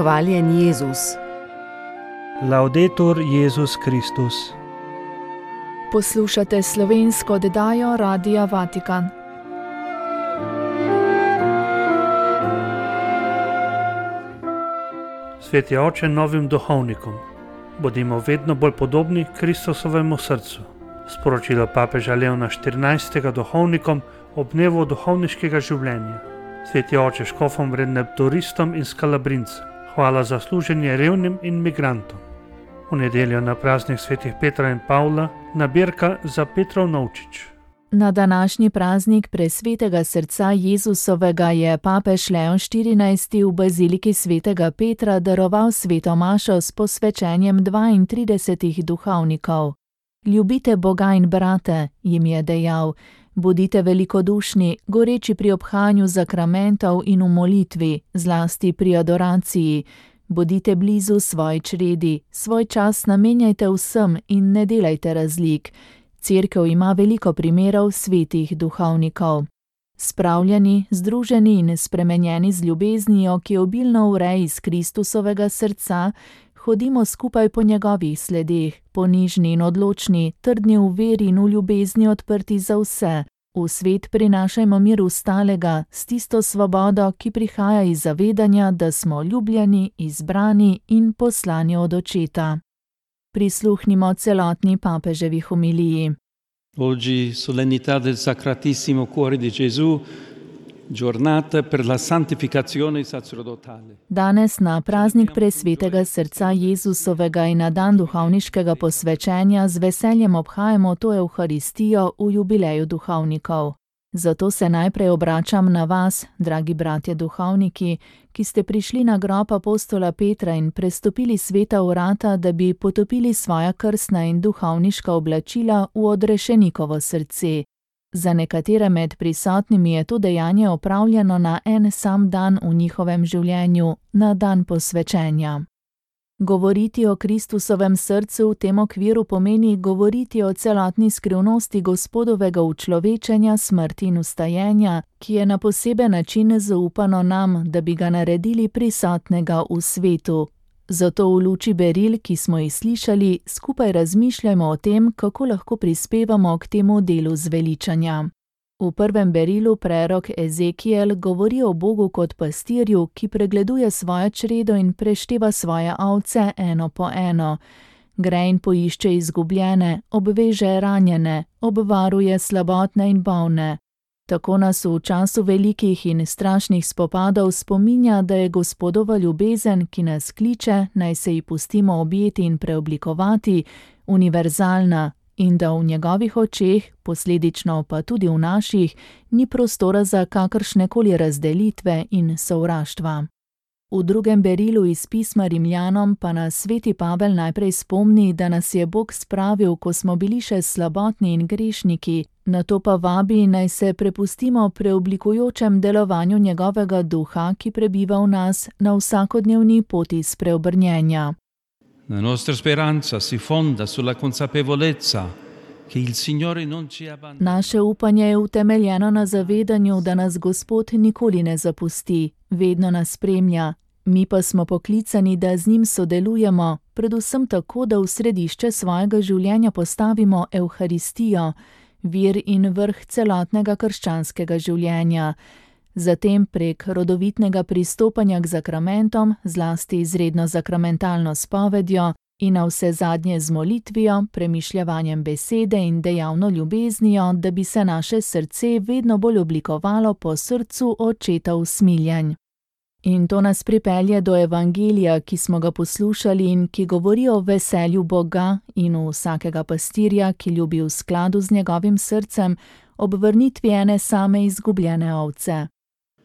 Hvaljen Jezus. Laudetur Jezus Kristus. Poslušate slovensko oddajo Radia Vatikan. Sveti oče novim duhovnikom, bodimo vedno bolj podobni Kristusovemu srcu. Sporočilo papeža Leona XIV. Duhovnikom ob dnevu duhovniškega življenja. Sveti oče škofom, redemptoristom in skalabrincem, hvala za služenje revnim in migrantom. V nedeljo na praznik svetih Petra in Pavla nabirka za Petrov novčič. Na današnji praznik presvetega srca Jezusovega je papež Leon XIV. V baziliki svetega Petra daroval sveto mašo s posvečenjem 32 duhovnikov. Ljubite Boga in brate, jim je dejal, bodite velikodušni, goreči pri obhajanju zakramentov in v molitvi, zlasti pri adoraciji. Bodite blizu svoji čredi, svoj čas namenjajte vsem in ne delajte razlik. Cerkev ima veliko primerov svetih duhovnikov. Spravljeni, združeni in spremenjeni z ljubeznijo, ki obilno vre iz Kristusovega srca, hodimo skupaj po njegovih sledeh, ponižni in odločni, trdni v veri in v ljubezni odprti za vse. V svet prinašajmo mir ostalega, s tisto svobodo, ki prihaja iz zavedanja, da smo ljubljeni, izbrani in poslani od Očeta. Prisluhnimo celotni papeževi homiliji. Oggi solennità del Sacratissimo Cuore di Gesù, giornata per la santificazione sacerdotale. Danes na praznik presvetega srca Jezusovega in na dan duhovniškega posvečenja z veseljem obhajamo to Evharistijo v jubileju duhovnikov. Zato se najprej obračam na vas, dragi bratje duhovniki, ki ste prišli na grob apostola Petra in prestopili sveta vrata, da bi potopili svoja krstna in duhovniška oblačila v odrešenikovo srce. Za nekatere med prisotnimi je to dejanje opravljeno na en sam dan v njihovem življenju, na dan posvečenja. Govoriti o Kristusovem srcu v tem okviru pomeni govoriti o celotni skrivnosti Gospodovega učlovečenja, smrti in vstajenja, ki je na poseben način zaupano nam, da bi ga naredili prisotnega v svetu. Zato v luči beril, ki smo jih slišali, skupaj razmišljajmo o tem, kako lahko prispevamo k temu delu zveličanja. V prvem berilu prerok Ezekiel govori o Bogu kot pastirju, ki pregleduje svojo čredo in prešteva svoje ovce eno po eno. Gre in poišče izgubljene, obveže ranjene, obvaruje slabotne in bolne. Tako nas v času velikih in strašnih spopadov spominja, da je Gospodova ljubezen, ki nas kliče, naj se ji pustimo objeti in preoblikovati, univerzalna, in da v njegovih očeh, posledično pa tudi v naših, ni prostora za kakršnekoli razdelitve in sovraštva. V drugem berilu iz pisma Rimljanom pa nas sveti Pavel najprej spomni, da nas je Bog spravil, ko smo bili še slabotni in grešniki, nato pa vabi, naj se prepustimo preoblikujočem delovanju njegovega duha, ki prebiva v nas na vsakodnevni poti spreobrnjenja. La nostra speranza si fonda sulla consapevolezza che il Signore non ci abbandona. Naše upanje je utemeljeno na zavedanju, da nas Gospod nikoli ne zapusti, vedno nas spremlja. Mi pa smo poklicani, da z njim sodelujemo, predvsem tako, da v središče svojega življenja postavimo Evharistijo, vir in vrh celotnega krščanskega življenja. Zatem prek rodovitnega pristopanja k zakramentom, zlasti izredno zakramentalno spovedjo in navsezadnje z molitvijo, premišljavanjem besede in dejavno ljubeznijo, da bi se naše srce vedno bolj oblikovalo po srcu Očeta usmiljenj. In to nas pripelje do evangelija, ki smo ga poslušali in ki govori o veselju Boga in vsakega pastirja, ki ljubi v skladu z njegovim srcem, ob vrnitvi ene same izgubljene ovce.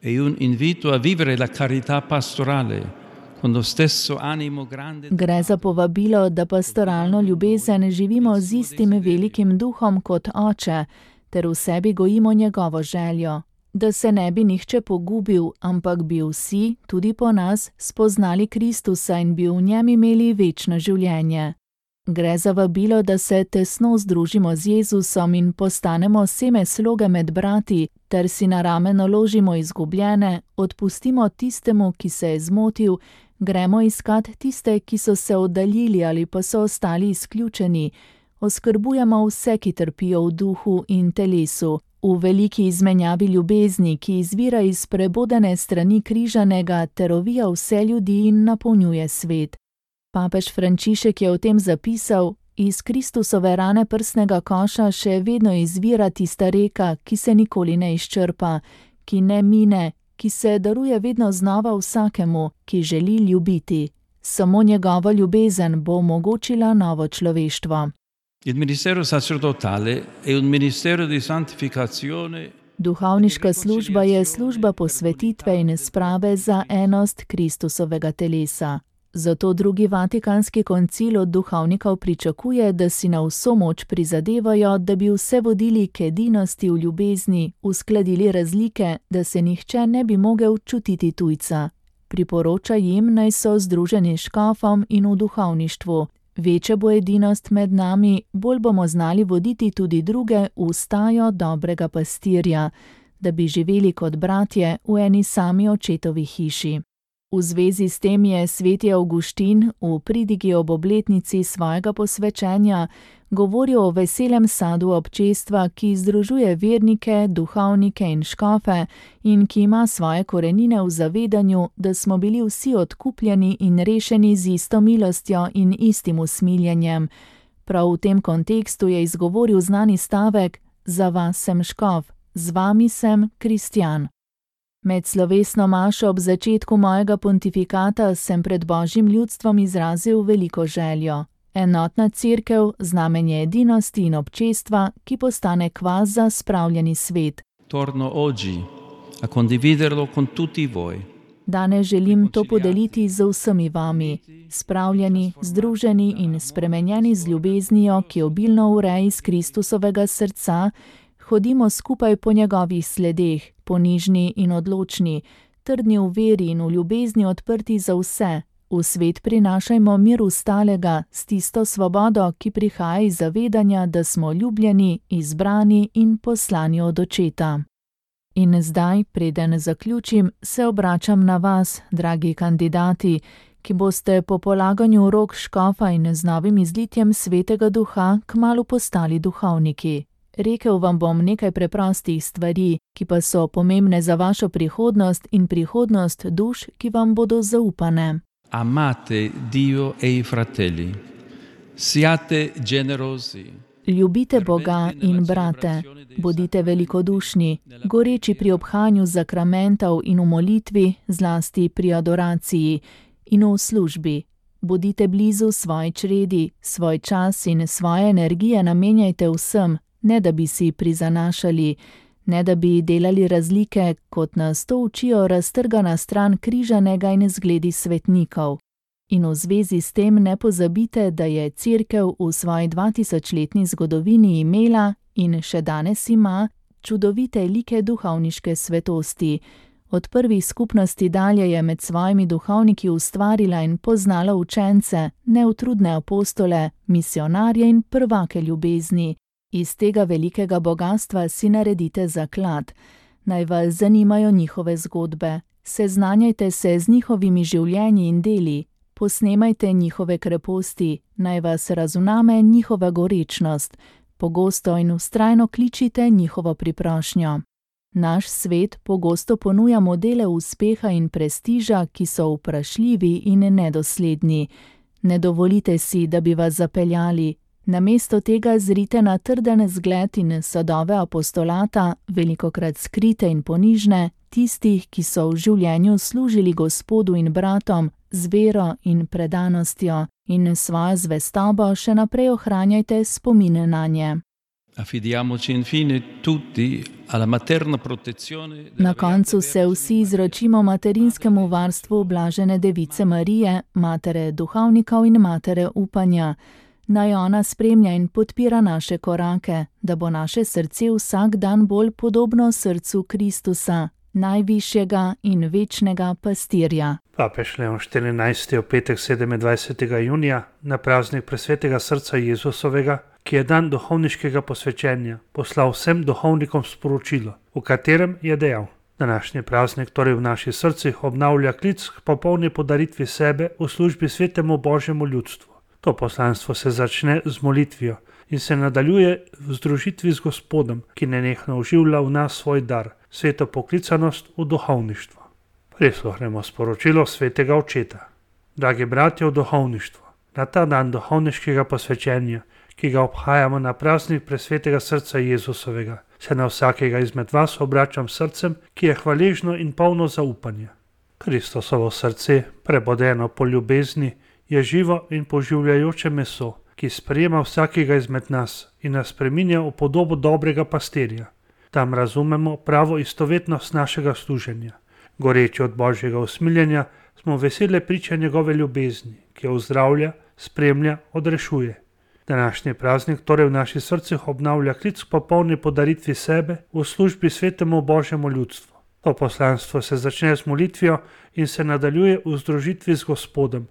È un invito a vivere la carità pastorale con lo stesso animo grande. Gre za povabilo, da pastoralno ljubezen živimo z istim velikim duhom kot Oče, ter v sebi gojimo njegovo željo, da se ne bi nihče pogubil, ampak bi vsi, tudi po nas, spoznali Kristusa in bi v njem imeli večno življenje. Gre za vabilo, da se tesno združimo z Jezusom in postanemo seme sloge med brati, ter si na rame naložimo izgubljene, odpustimo tistemu, ki se je zmotil, gremo iskat tiste, ki so se oddaljili ali pa so ostali izključeni, oskrbujemo vse, ki trpijo v duhu in telesu, v veliki izmenjavi ljubezni, ki izvira iz prebodene strani križanega ter ovija vse ljudi in napolnjuje svet. Papež Frančišek je o tem zapisal: iz Kristusove rane prsnega koša še vedno izvira tista reka, ki se nikoli ne izčrpa, ki ne mine, ki se daruje vedno znova vsakemu, ki želi ljubiti. Samo njegova ljubezen bo omogočila novo človeštvo. Il ministero sacerdotale è un ministero di santificazione. Duhovniška služba je služba posvetitve in sprave za enost Kristusovega telesa. Zato drugi Vatikanski koncil od duhovnikov pričakuje, da si na vso moč prizadevajo, da bi vse vodili k edinosti v ljubezni, uskladili razlike, da se nihče ne bi mogel čutiti tujca. Priporoča jim, naj so združeni s škofom in v duhovništvu. Večja bo edinost med nami, bolj bomo znali voditi tudi druge v stajo dobrega pastirja, da bi živeli kot bratje v eni sami očetovi hiši. V zvezi s tem je sveti Avguštin v pridigi ob obletnici svojega posvečenja govoril o veselem sadu občestva, ki združuje vernike, duhovnike in škofe in ki ima svoje korenine v zavedanju, da smo bili vsi odkupljeni in rešeni z isto milostjo in istim usmiljenjem. Prav v tem kontekstu je izgovoril znani stavek: za vas sem škof, z vami sem kristjan. Med slovesno mašo ob začetku mojega pontifikata sem pred Božjim ljudstvom izrazil veliko željo. Enotna cerkev, znamenje edinosti in občestva, ki postane kvas za spravljeni svet. Torno oggi a condividerlo con tutti voi. Danes želim to podeliti z vsemi vami, spravljeni, združeni in spremenjeni z ljubeznijo, ki obilno ureja iz Kristusovega srca, hodimo skupaj po njegovih sledeh, ponižni in odločni, trdni v veri in v ljubezni odprti za vse. V svet prinašajmo mir ustalega s tisto svobodo, ki prihaja iz zavedanja, da smo ljubljeni, izbrani in poslani od Očeta. In zdaj, preden zaključim, se obračam na vas, dragi kandidati, ki boste po polaganju rok škofa in z novim izlitjem Svetega Duha kmalu postali duhovniki. Rekel vam bom nekaj preprostih stvari, ki pa so pomembne za vašo prihodnost in prihodnost duš, ki vam bodo zaupane. Amate Dio e i fratelli. Siate generosi. Ljubite Boga in brate, bodite velikodušni, goreči pri obhanju zakramentov in v molitvi, zlasti pri adoraciji in v službi. Bodite blizu svoji čredi, svoj čas in svoje energije namenjajte vsem, ne da bi si prizanašali, ne da bi delali razlike, kot nas to učijo raztrgana stran križanega in zgledi svetnikov. In v zvezi s tem ne pozabite, da je Cerkev v svoji 2000-letni zgodovini imela in še danes ima čudovite like duhovniške svetosti. Od prvih skupnosti dalje je med svojimi duhovniki ustvarila in poznala učence, neutrudne apostole, misionarje in prvake ljubezni. Iz tega velikega bogastva si naredite zaklad. Naj vas zanimajo njihove zgodbe. Seznanjajte se z njihovimi življenji in deli. Posnemajte njihove kreposti. Naj vas razuname njihova gorečnost. Pogosto in vztrajno kličite njihovo priprošnjo. Naš svet pogosto ponuja modele uspeha in prestiža, ki so vprašljivi in nedosledni. Ne dovolite si, da bi vas zapeljali. Namesto tega zrite na trden zgled in sadove apostolata, velikokrat skrite in ponižne, tistih, ki so v življenju služili Gospodu in bratom z vero in predanostjo, in svojo zvestobo še naprej ohranjajte spomine nanje. Affidiamoci infine tutti alla materna protezione. Na koncu se vsi izročimo materinskemu varstvu blažene Device Marije, matere duhovnikov in matere upanja. Naj ona spremlja in podpira naše korake, da bo naše srce vsak dan bolj podobno srcu Kristusa, najvišjega in večnega pastirja. Papež Leon XIV je v petek 27. junija na praznik presvetega srca Jezusovega, ki je dan duhovniškega posvečenja, poslal vsem duhovnikom sporočilo, v katerem je dejal: današnji praznik torej v naših srcih obnavlja klic k popolni podaritvi sebe v službi svetemu Božjemu ljudstvu. To poslanstvo se začne z molitvijo in se nadaljuje v združitvi z Gospodom, ki nenehno oživlja v nas svoj dar, sveto poklicanost v duhovništvo. Prisluhnemo sporočilo svetega očeta. Dragi bratje v duhovništvu, na ta dan duhovniškega posvečenja, ki ga obhajamo na praznik presvetega srca Jezusovega, se na vsakega izmed vas obračam srcem, ki je hvaležno in polno zaupanja. Kristosovo srce, prebodeno po ljubezni, je živo in poživljajoče meso, ki sprejema vsakega izmed nas in nas spreminja v podobo dobrega pastirja. Tam razumemo pravo istovetnost našega služenja. Goreči od Božjega usmiljenja smo vesele priče njegove ljubezni, ki jo ozdravlja, spremlja, odrešuje. Današnji praznik torej v naših srcih obnavlja klic k popolni podaritvi sebe v službi svetemu Božjemu ljudstvu. To poslanstvo se začne z molitvijo in se nadaljuje v združitvi z Gospodom,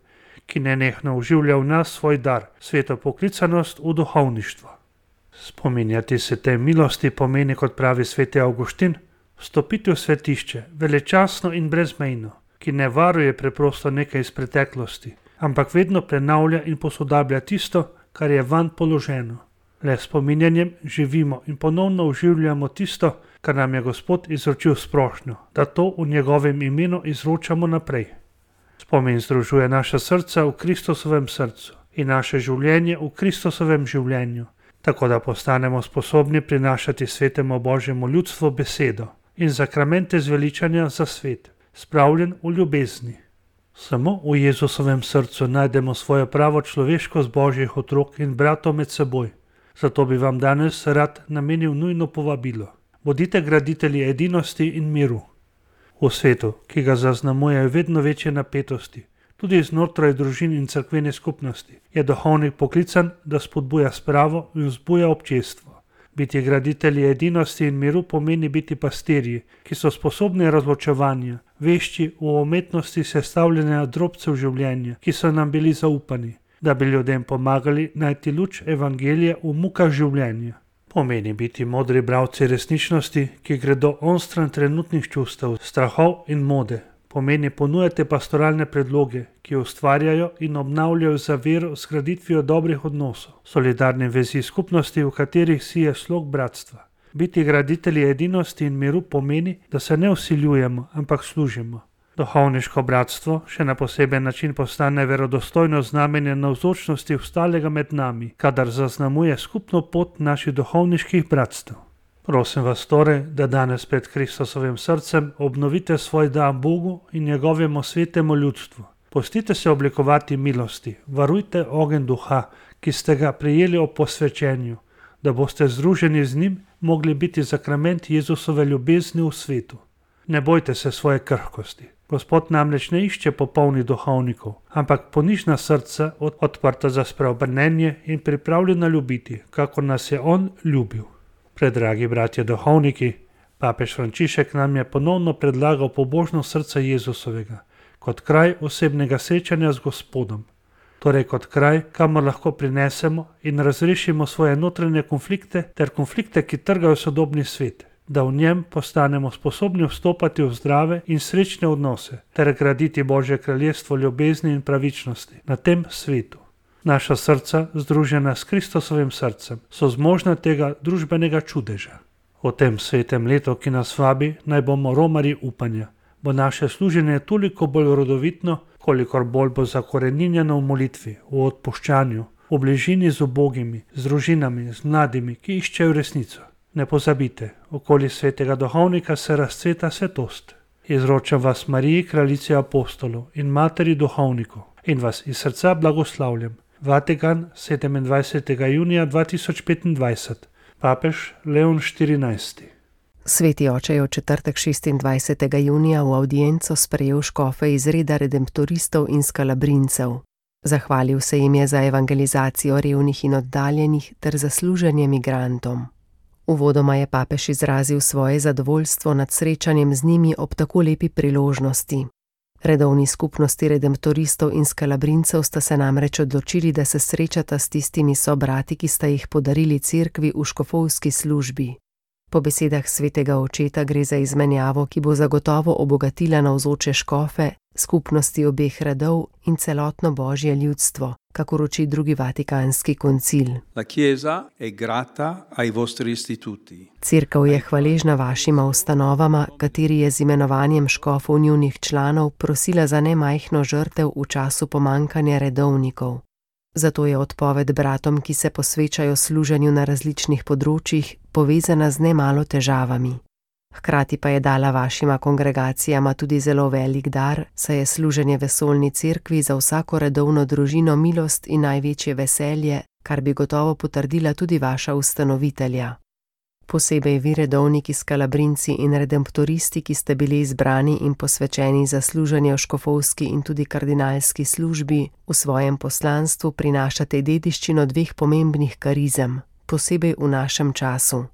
ki nenehno oživlja v nas svoj dar, sveto poklicanost v duhovništvo. Spominjati se te milosti pomeni, kot pravi sveti Avguštin, vstopiti v svetišče, velečasno in brezmejno, ki ne varuje preprosto nekaj iz preteklosti, ampak vedno prenavlja in posodablja tisto, kar je vanj položeno. Le s spominjanjem živimo in ponovno oživljamo tisto, kar nam je Gospod izročil sprošnjo, da to v njegovem imenu izročamo naprej. Spomin združuje naša srca v Kristusovem srcu in naše življenje v Kristusovem življenju, tako da postanemo sposobni prinašati svetemu Božjemu ljudstvu besedo in zakramente zveličanja za svet, spravljen v ljubezni. Samo v Jezusovem srcu najdemo svojo pravo človeškost Božjih otrok in bratov med seboj. Zato bi vam danes rad namenil nujno povabilo. Bodite graditelji edinosti in miru. V svetu, ki ga zaznamujejo vedno večje napetosti, tudi znotraj družin in cerkvene skupnosti, je duhovnik poklican, da spodbuja spravo in vzbuja občestvo. Biti graditelji edinosti in miru pomeni biti pastirji, ki so sposobni razločevanja, vešči v umetnosti sestavljanja drobcev življenja, ki so nam bili zaupani, da bi ljudem pomagali najti luč evangelija v mukah življenja. Pomeni biti modri bralci resničnosti, ki gredo onstran trenutnih čustev, strahov in mode. Pomeni ponujati pastoralne predloge, ki ustvarjajo in obnavljajo za vero s graditvijo dobrih odnosov, solidarne vezi skupnosti, v katerih si je slog bratstva. Biti graditelji edinosti in miru pomeni, da se ne vsiljujemo, ampak služimo. Duhovniško bratstvo še na poseben način postane verodostojno znamenje navzočnosti ostalega med nami, kadar zaznamuje skupno pot naših duhovniških bratstev. Prosim vas torej, da danes pred Kristusovim srcem obnovite svoj dar Bogu in njegovemu svetemu ljudstvu. Pustite se oblikovati milosti, varujte ogenj duha, ki ste ga prejeli ob posvečenju, da boste združeni z njim mogli biti zakrament Jezusove ljubezni v svetu. Ne bojte se svoje krhkosti. Gospod namreč ne išče popolnih duhovnikov, ampak ponižna srca, odprta za spreobrnenje in pripravljena ljubiti, kako nas je on ljubil. Predragi bratje duhovniki, papež Frančišek nam je ponovno predlagal pobožno srce Jezusovega, kot kraj osebnega srečanja z Gospodom, torej kot kraj, kamor lahko prinesemo in razrešimo svoje notranje konflikte ter konflikte, ki trgajo sodobni svet, da v njem postanemo sposobni vstopati v zdrave in srečne odnose ter graditi Božje kraljestvo ljubezni in pravičnosti na tem svetu. Naša srca, združena s Kristusovim srcem, so zmožna tega družbenega čudeža. V tem svetem letu, ki nas vabi, naj bomo romarji upanja, bo naše služenje toliko bolj rodovitno, kolikor bolj bo zakoreninjeno v molitvi, v odpuščanju, v bližini z ubogimi, z družinami, z mladimi, ki iščejo resnico. Ne pozabite, okoli svetega duhovnika se razcveta svetost. Izročam vas Mariji, kraljici apostolov in materi duhovnikov, in vas iz srca blagoslavljam. Vatikan, 27. junija 2025. Papež Leon XIV. Sveti oče je v četrtek 26. junija v avdienco sprejel škofe iz reda redemptoristov in skalabrincev. Zahvalil se jim je za evangelizacijo revnih in oddaljenih ter za služenje migrantom. Uvodoma je papež izrazil svoje zadovoljstvo nad srečanjem z njimi ob tako lepi priložnosti. Redovni skupnosti redemptoristov in skalabrincev sta se namreč odločili, da se srečata s tistimi sobrati, ki sta jih podarili cerkvi v škofovski službi. Po besedah svetega očeta gre za izmenjavo, ki bo zagotovo obogatila navzoče škofe, skupnosti obeh redov in celotno božje ljudstvo, kakor uči drugi vatikanski koncil. La Chiesa è grata ai vostri istituti. Cerkev je hvaležna vašima ustanovama, kateri je z imenovanjem škofov njunih članov prosila za nemajhno žrtev v času pomankanja redovnikov. Zato je odpoved bratom, ki se posvečajo služenju na različnih področjih, povezana z nemalo težavami. Hkrati pa je dala vašima kongregacijama tudi zelo velik dar, saj je služenje vesoljni cerkvi za vsako redovno družino milost in največje veselje, kar bi gotovo potrdila tudi vaša ustanovitelja. Posebej vi redovniki skalabrinci in redemptoristi, ki ste bili izbrani in posvečeni za služenje v škofovski in tudi kardinalski službi, v svojem poslanstvu prinašate dediščino dveh pomembnih karizem, posebej v našem času.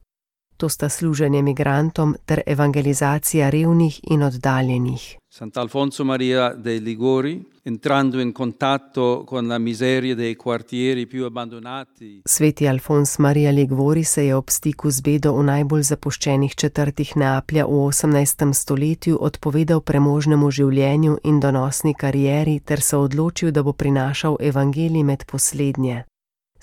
To sta služenje migrantom ter evangelizacija revnih in oddaljenih. Sant'Alfonso Maria dei Liguori, entrando in contatto con la miseria dei quartieri più abbandonati. Sveti Alfons Maria Liguori se je ob stiku z bedo v najbolj zapuščenih četrtih Neaplja v 18. stoletju odpovedal premožnemu življenju in donosni karieri ter se odločil, da bo prinašal evangelij med poslednje.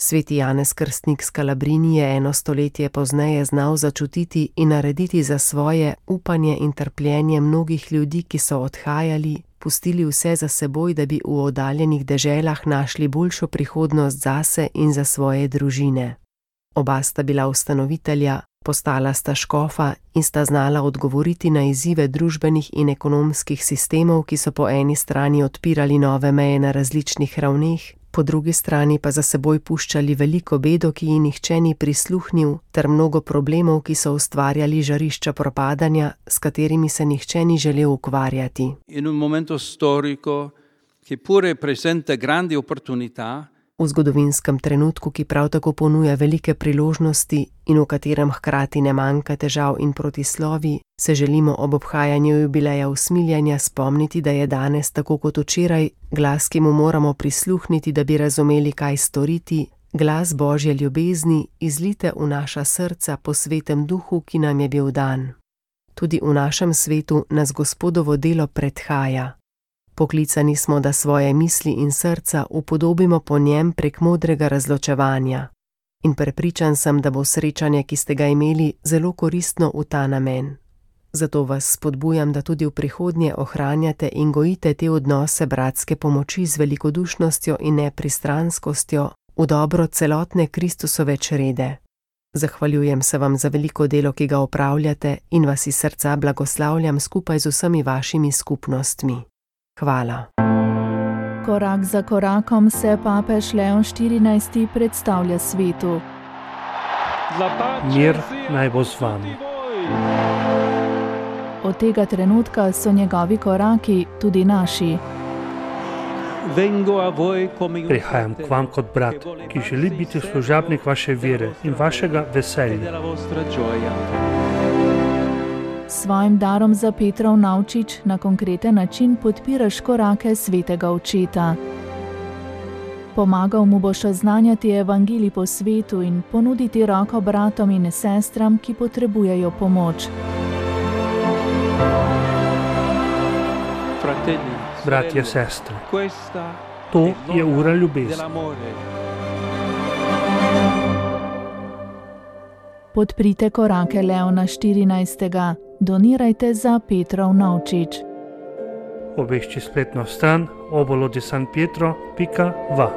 Sveti Janez Krstnik Scalabrini je 1 stoletje pozneje znal začutiti in narediti za svoje upanje in trpljenje mnogih ljudi, ki so odhajali, pustili vse za seboj, da bi v oddaljenih deželah našli boljšo prihodnost zase in za svoje družine. Oba sta bila ustanovitelja, postala sta škofa in sta znala odgovoriti na izzive družbenih in ekonomskih sistemov, ki so po eni strani odpirali nove meje na različnih ravneh, po drugi strani pa za seboj puščali veliko bedo, ki ji nihče ni prisluhnil, ter mnogo problemov, ki so ustvarjali žarišča propadanja, s katerimi se nihče ni želel ukvarjati. In un momento storico che pure presenta grandi opportunità. V zgodovinskem trenutku, ki prav tako ponuja velike priložnosti in v katerem hkrati ne manjka težav in protislovi, se želimo ob obhajanju jubileja usmiljanja spomniti, da je danes, tako kot včeraj, glas, ki mu moramo prisluhniti, da bi razumeli, kaj storiti, glas Božje ljubezni, izlite v naša srca po svetem duhu, ki nam je bil dan. Tudi v našem svetu nas Gospodovo delo predhaja. Poklicani smo, da svoje misli in srca upodobimo po njem prek modrega razločevanja. In prepričan sem, da bo srečanje, ki ste ga imeli, zelo koristno v ta namen. Zato vas spodbujam, da tudi v prihodnje ohranjate in gojite te odnose bratske pomoči z velikodušnostjo in nepristranskostjo v dobro celotne Kristusove črede. Zahvaljujem se vam za veliko delo, ki ga opravljate, in vas iz srca blagoslavljam skupaj z vsemi vašimi skupnostmi. Hvala. Korak za korakom se papež Leon XIV predstavlja svetu. Mir naj bo z vami. Od tega trenutka so njegovi koraki tudi naši. Prihajam k vam kot brat, ki želi biti služabnik vaše vere in vašega veselja. S svojim darom za Petrov Navčič na konkreten način podpiraš korake svetega očeta. Pomagal mu boš oznanjati evangelij po svetu in ponuditi roko bratom in sestram, ki potrebujejo pomoč. Bratje, sestre, to je ura ljubezni. Podprite korake Leona XIV. Donirajte za Petrov Navčič. Obešči spletno stran obolo-di-san-pietro.va.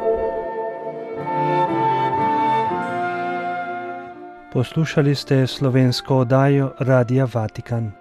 Poslušali ste slovensko oddajo Radia Vatikan.